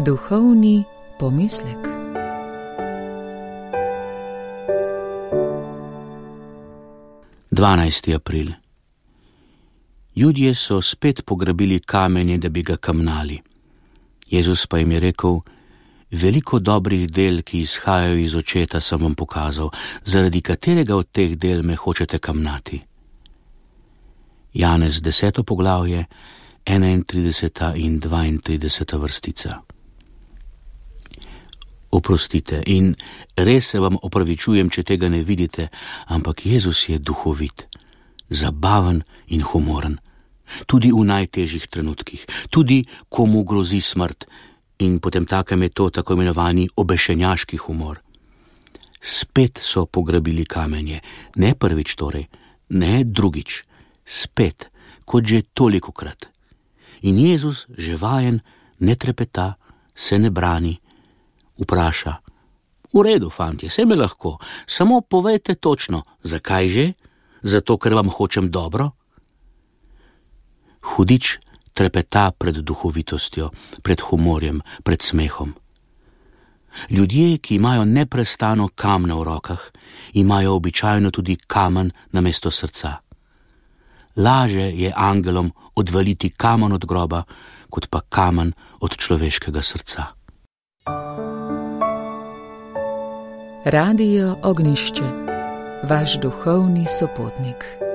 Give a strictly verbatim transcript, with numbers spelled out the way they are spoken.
Duhovni pomislek. dvanajsti april. Judje so spet pograbili kamenje, da bi ga kamnali. Jezus pa jim je rekel: veliko dobrih del, ki izhajajo iz očeta, sem vam pokazal, zaradi katerega od teh del me hočete kamnati. Janez deseto poglavje, enaintrideseta in dvaintrideseta vrstica. Oprostite in res se vam opravičujem, če tega ne vidite, ampak Jezus je duhovit, zabaven in humoren. Tudi v najtežjih trenutkih, tudi ko mu grozi smrt, in potem takem je to tako imenovani obešenjaški humor. Spet so pograbili kamenje, ne prvič torej, ne drugič, spet, kot že tolikokrat. In Jezus, že vajen, ne trepeta, se ne brani, vpraša: v redu, fantje, se me lahko, samo povejte točno, zakaj že? Zato, ker vam hočem dobro? Hudič trepeta pred duhovitostjo, pred humorjem, pred smehom. Ljudje, ki imajo neprestano kamne v rokah, imajo običajno tudi kamen namesto srca. Laže je angelom odvaliti kamen od groba, kot pa kamen od človeškega srca. Radio Ognjišče, vaš duhovni sopotnik.